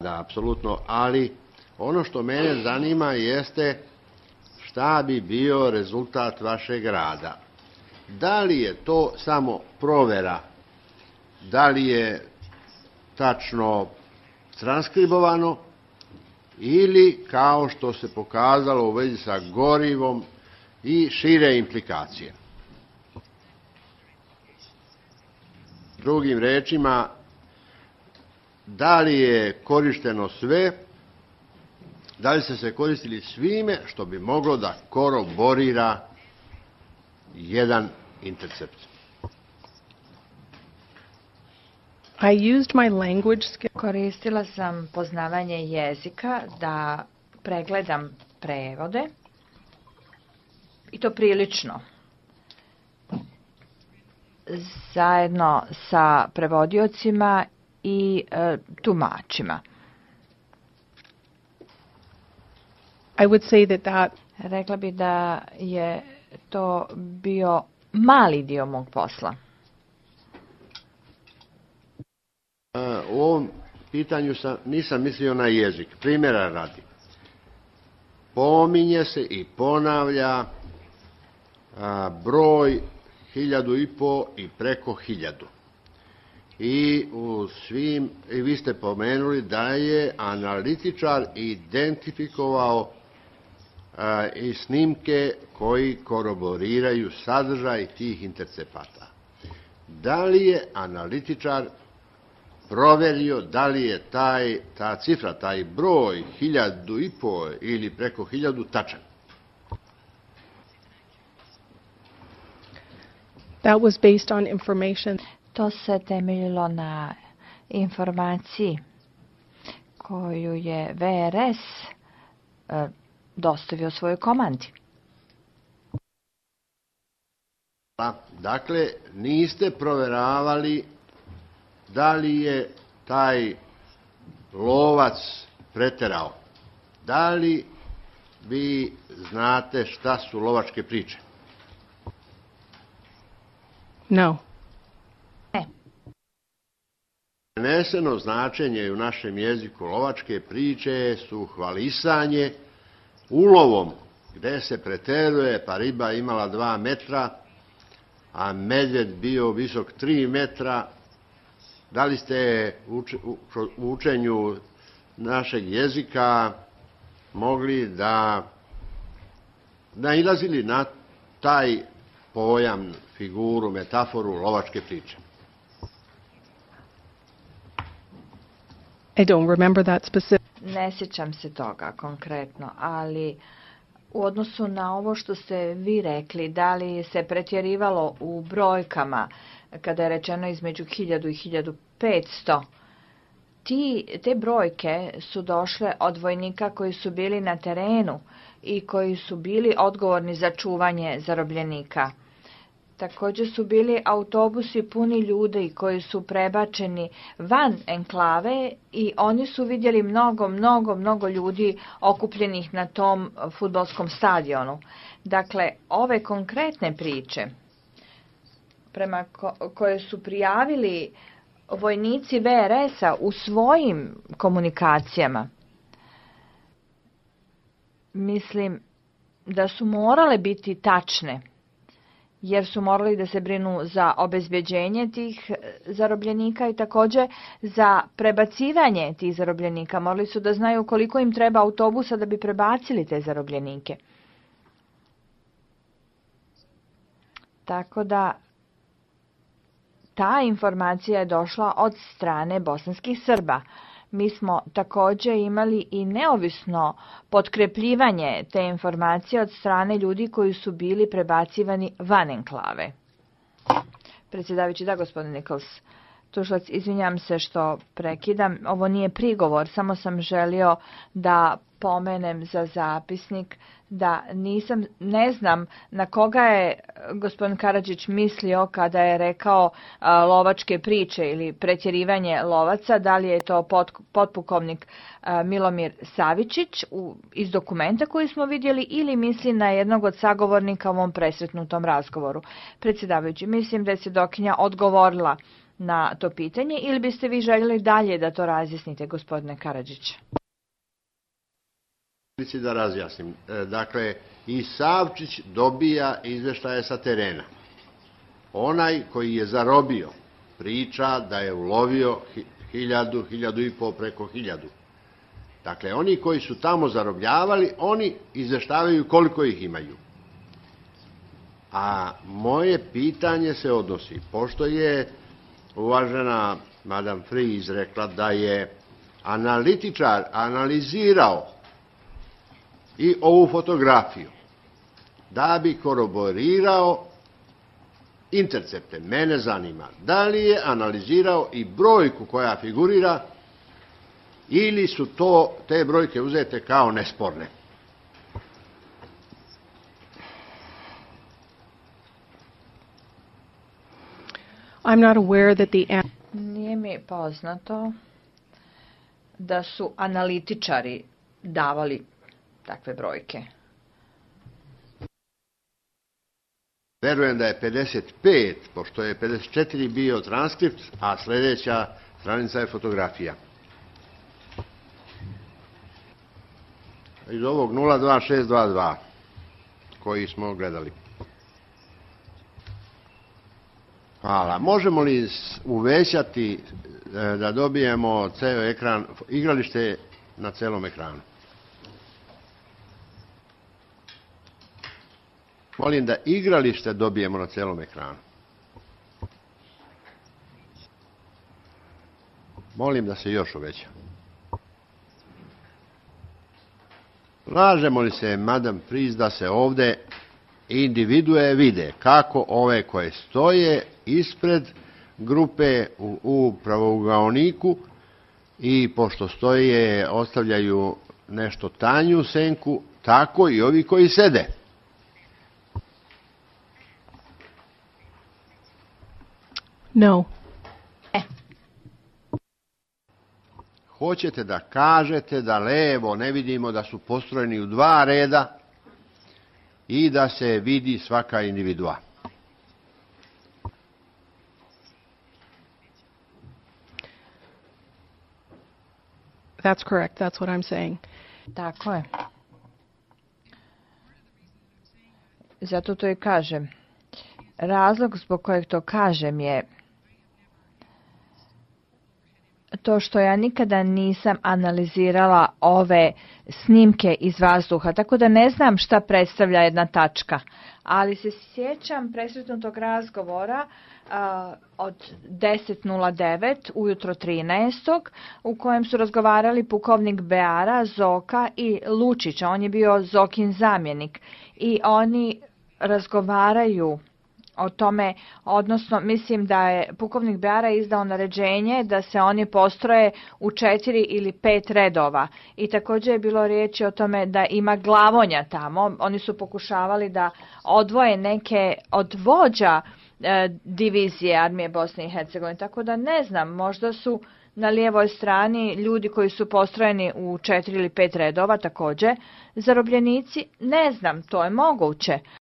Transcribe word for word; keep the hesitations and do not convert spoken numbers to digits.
Da, apsolutno, ali ono što mene zanima jeste šta bi bio rezultat vašeg rada. Da li je to samo provera, da li je tačno transkribovano ili kao što se pokazalo u vezi sa gorivom i šire implikacije. Drugim rečima, da li je korišteno sve, da li ste se koristili svime što bi moglo da koroborira jedan intercept. I used my language skill. Koristila sam poznavanje jezika da pregledam prevode i to prilično. Zajedno sa prevodiocima i e, tumačima. I would say that that Rekla bi da je to bio mali dio mog posla. U ovom pitanju sam, nisam mislio na jezik. Primjera radi. Pominje se i ponavlja a, broj hiljadu i po i preko hiljadu. I u svim, i vi ste pomenuli da je analitičar identifikovao a, i snimke koji koroboriraju sadržaj tih intercepata. Da li je analitičar proverio da li je taj, ta cifra, taj broj hiljadu i po ili preko hiljadu tačan? that was based on information. To se temeljilo na informaciji koju je V R S e, dostavio svojoj komandi. Dakle, niste proveravali da li je taj lovac preterao. Da li vi znate šta su lovačke priče? No. Ne. Preneseno značenje u našem jeziku lovačke priče su hvalisanje ulovom, gde se preteruje, pa riba imala dva metra, a medved bio visok tri metra. Da li ste u učenju našeg jezika mogli da nailazili na taj pojam, figuru, metaforu lovačke priče? I don't remember that specific. Ne sjećam se toga konkretno, ali u odnosu na ovo što ste vi rekli, da li se pretjerivalo u brojkama, kada je rečeno između hiljadu i hiljadu petsto, ti, te brojke su došle od vojnika koji su bili na terenu i koji su bili odgovorni za čuvanje zarobljenika. Također su bili autobusi puni ljudi koji su prebačeni van enklave i oni su vidjeli mnogo, mnogo, mnogo ljudi okupljenih na tom fudbalskom stadionu. Dakle, ove konkretne priče prema ko koje su prijavili vojnici V R S-a u svojim komunikacijama, mislim da su morale biti tačne, jer su morali da se brinu za obezbeđenje tih zarobljenika i također za prebacivanje tih zarobljenika. Morali su da znaju koliko im treba autobusa da bi prebacili te zarobljenike. Tako da ta informacija je došla od strane bosanskih Srba. Mi smo također imali i neovisno potkrepljivanje te informacije od strane ljudi koji su bili prebacivani van enklave. Predsjedavajući, da, gospodin Nichols. Tužilac, izvinjam se što prekidam. Ovo nije prigovor, samo sam želio da pomenem za zapisnik da nisam, ne znam na koga je gospodin Karadžić mislio kada je rekao a, lovačke priče ili pretjerivanje lovaca, da li je to pot, potpukovnik a, Milomir Savičić u, iz dokumenta koji smo vidjeli ili misli na jednog od sagovornika u ovom presretnutom razgovoru. Predsjedavajući, mislim da je svjedokinja odgovorila na to pitanje ili biste vi željeli dalje da to razjasnite, gospodine Karadžić? Da razjasnim. Dakle, i Savčić dobija izveštaje sa terena. Onaj koji je zarobio priča da je ulovio hiljadu, hiljadu i pol, preko hiljadu. Dakle, oni koji su tamo zarobljavali, oni izveštavaju koliko ih imaju. A moje pitanje se odnosi, pošto je uvažena Madame Fries rekla da je analitičar analizirao i ovu fotografiju da bi koroborirao intercepte. Mene zanima da li je analizirao i brojku koja figurira ili su to te brojke uzete kao nesporne. I'm not aware that the... Nije mi poznato da su analitičari davali takve brojke. Verujem da je pedeset pet, pošto je pedeset četiri bio transkript, a sljedeća stranica je fotografija. Iz ovog nula dva šest dva dva koji smo gledali. Hvala. Možemo li uvećati da dobijemo ceo ekran, igralište na celom ekranu? Molim da igralište dobijemo na celom ekranu. Molim da se još uveća. Slažemo li se, Madame Fries, da se ovde individue vide kako ove koje stoje ispred grupe u, u pravougaoniku i pošto stoje ostavljaju nešto tanju senku, tako i ovi koji sede. No. E. Hoćete da kažete da levo ne vidimo da su postrojeni u dva reda i da se vidi svaka individua. That's correct. That's what I'm saying. Tako je. Zato to i kažem. Razlog zbog kojeg to kažem je to što ja nikada nisam analizirala ove snimke iz vazduha, tako da ne znam šta predstavlja jedna tačka. Ali se sjećam presretnutog razgovora uh, od deset nula devet ujutro trinaestog u kojem su razgovarali pukovnik Beara, Zoka i Lučić. On je bio Zokin zamjenik i oni razgovaraju o tome, odnosno mislim da je pukovnik Beara izdao naređenje da se oni postroje u četiri ili pet redova. I također je bilo riječi o tome da ima glavonja tamo. Oni su pokušavali da odvoje neke od vođa e, divizije armije Bosne i Hercegovine. Tako da ne znam, možda su na lijevoj strani ljudi koji su postrojeni u četiri ili pet redova također zarobljenici. Ne znam, to je moguće.